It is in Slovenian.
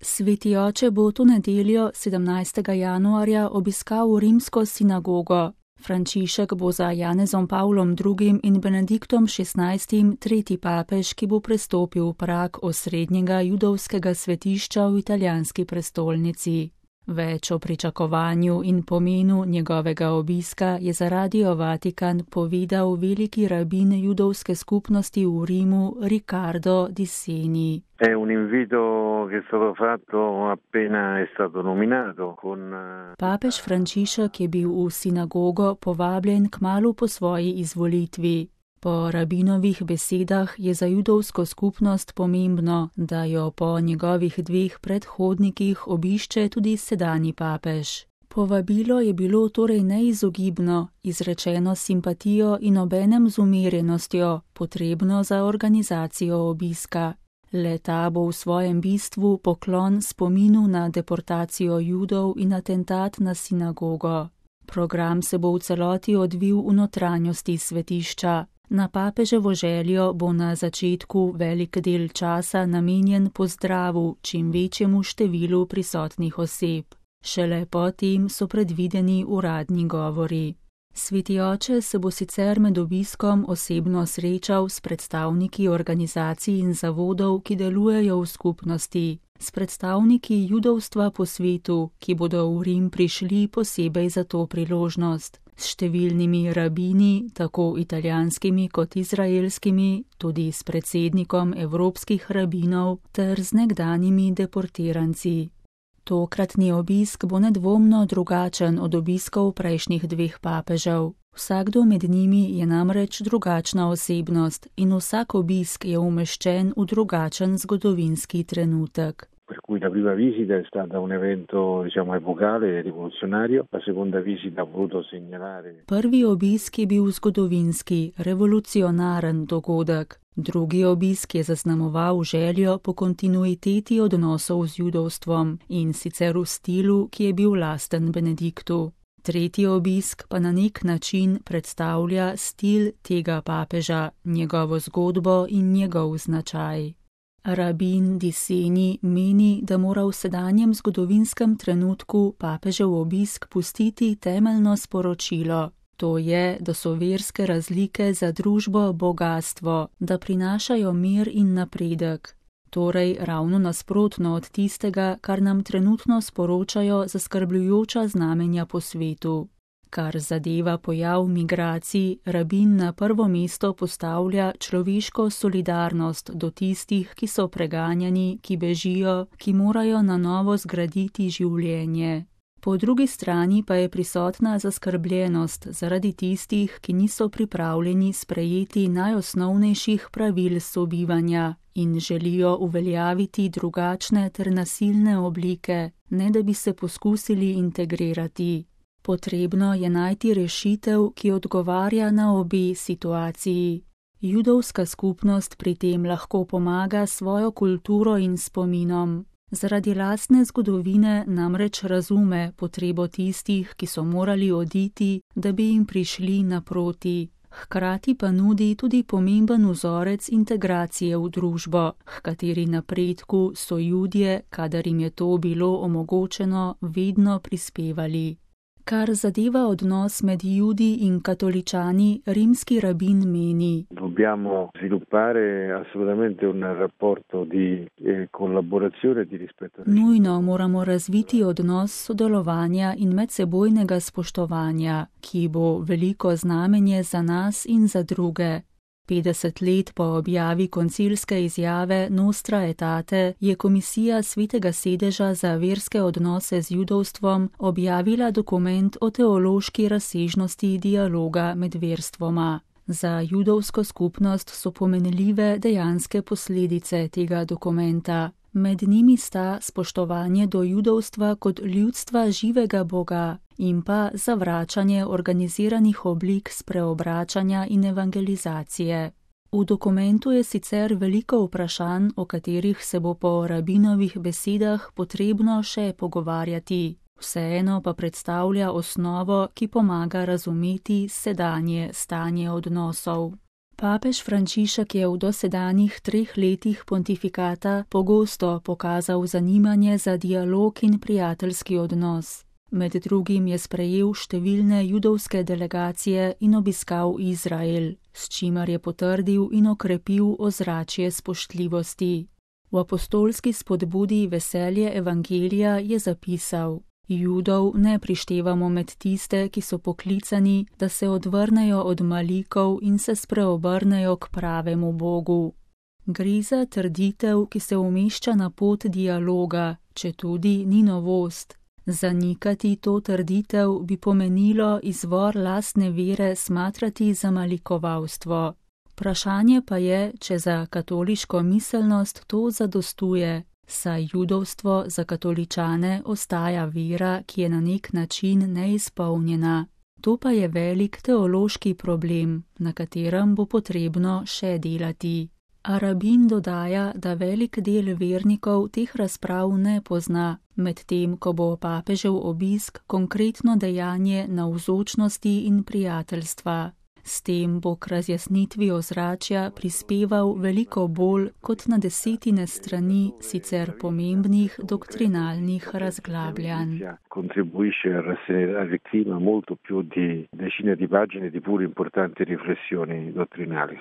Sveti oče bo to nedeljo 17. januarja obiskal rimsko sinagogo. Frančišek bo za Janezom Pavlom II. In Benediktom XVI. Tretji papež, ki bo prestopil prag osrednjega judovskega svetišča v italijanski prestolnici. Več o pričakovanju in pomenu njegovega obiska je za Radio Vatikan povedal veliki rabin judovske skupnosti v Rimu Riccardo Di Seni. È un invito che è stato fatto appena è stato nominato con... Papež Frančišek je bil v sinagogo povabljen kmalu po svoji izvolitvi. Po rabinovih besedah je za judovsko skupnost pomembno, da jo po njegovih dveh predhodnikih obišče tudi sedanji papež. Povabilo je bilo torej neizogibno, izrečeno s simpatijo in obenem z umirjenostjo, potrebno za organizacijo obiska. Le-ta bo v svojem bistvu poklon spominu na deportacijo Judov in atentat na sinagogo. Program se bo v celoti odvil v notranjosti svetišča. Na papeževo željo bo na začetku velik del časa namenjen pozdravu čim večjemu številu prisotnih oseb. Šele potem so predvideni uradni govori. Sveti oče se bo sicer med obiskom osebno srečal s predstavniki organizacij in zavodov, ki delujejo v skupnosti, s predstavniki judovstva po svetu, ki bodo v Rim prišli posebej za to priložnost, s številnimi rabini, tako italijanskimi kot izraelskimi, tudi s predsednikom evropskih rabinov ter z nekdanjimi deportiranci. Tokratni obisk bo nedvomno drugačen od obiskov prejšnjih dveh papežev. Vsakdo med njimi je namreč drugačna osebnost in vsak obisk je umeščen v drugačen zgodovinski trenutek. Per cui la prima visita è stata un evento, epocale, rivoluzionario, la seconda visita ha voluto segnalare. Prvi obisk je bil zgodovinski, revolucionaren dogodek. Drugi obisk je zaznamoval željo po kontinuiteti odnosov z judovstvom in sicer v stilu, ki je bil lasten Benediktu. Tretji obisk pa na nek način predstavlja stil tega papeža, njegovo zgodbo in njegov značaj. Rabin Di Seni meni, da mora v sedanjem zgodovinskem trenutku papežev obisk pustiti temeljno sporočilo. To je, da so verske razlike za družbo bogastvo, da prinašajo mir in napredek. Torej ravno nasprotno od tistega, kar nam trenutno sporočajo zaskrbljujoča znamenja po svetu. Kar zadeva pojav migracij, rabin na prvo mesto postavlja človeško solidarnost do tistih, ki so preganjani, ki bežijo, ki morajo na novo zgraditi življenje. Po drugi strani pa je prisotna zaskrbljenost zaradi tistih, ki niso pripravljeni sprejeti najosnovnejših pravil sobivanja in želijo uveljaviti drugačne ter nasilne oblike, ne da bi se poskusili integrirati. Potrebno je najti rešitev, ki odgovarja na obe situaciji. Judovska skupnost pri tem lahko pomaga svojo kulturo in spominom. Zaradi lastne zgodovine namreč razume potrebo tistih, ki so morali oditi, da bi jim prišli naproti. Hkrati pa nudi tudi pomemben vzorec integracije v družbo, h kateri napredku so Judje, kadar jim je to bilo omogočeno, vedno prispevali. Kar zadeva odnos med Judi in katoličani, rimski rabin meni. Dobbiamo sviluppare assolutamente un rapporto di collaborazione e di rispetto. Nujno moramo razviti odnos sodelovanja in medsebojnega spoštovanja, ki bo veliko znamenje za nas in za druge. 50 let po objavi koncilske izjave Nostra Aetate je Komisija Svetega sedeža za verske odnose z judovstvom objavila dokument o teološki razsežnosti dialoga med verstvoma. Za judovsko skupnost so pomenljive dejanske posledice tega dokumenta. Med njimi sta spoštovanje do judovstva kot ljudstva živega Boga in pa zavračanje organiziranih oblik spreobračanja in evangelizacije. V dokumentu je sicer veliko vprašanj, o katerih se bo po rabinovih besedah potrebno še pogovarjati. Vseeno pa predstavlja osnovo, ki pomaga razumeti sedanje stanje odnosov. Papež Frančišek je v dosedanjih 3 letih pontifikata pogosto pokazal zanimanje za dialog in prijateljski odnos. Med drugim je sprejel številne judovske delegacije in obiskal Izrael, s čimer je potrdil in okrepil ozračje spoštljivosti. V apostolski spodbudi Veselje evangelija je zapisal: Judov ne prištevamo med tiste, ki so poklicani, da se odvrnejo od malikov in se spreobrnejo k pravemu Bogu. Gre za trditev, ki se umešča na pot dialoga, četudi ni novost. Zanikati to trditev bi pomenilo izvor lastne vere smatrati za malikovalstvo. Vprašanje pa je, če za katoliško miselnost to zadostuje, saj judovstvo za katoličane ostaja vera, ki je na nek način neizpolnjena. To pa je velik teološki problem, na katerem bo potrebno še delati. A rabin dodaja, da velik del vernikov teh razprav ne pozna, medtem ko bo papežev obisk konkretno dejanje navzočnosti in prijateljstva. S tem bo k razjasnitvi ozračja prispeval veliko bolj kot na 10 strani sicer pomembnih doktrinalnih razglabljanj. Contribuisce a rasserenare il clima molto più di decine di pagine di pure importanti riflessioni dottrinali.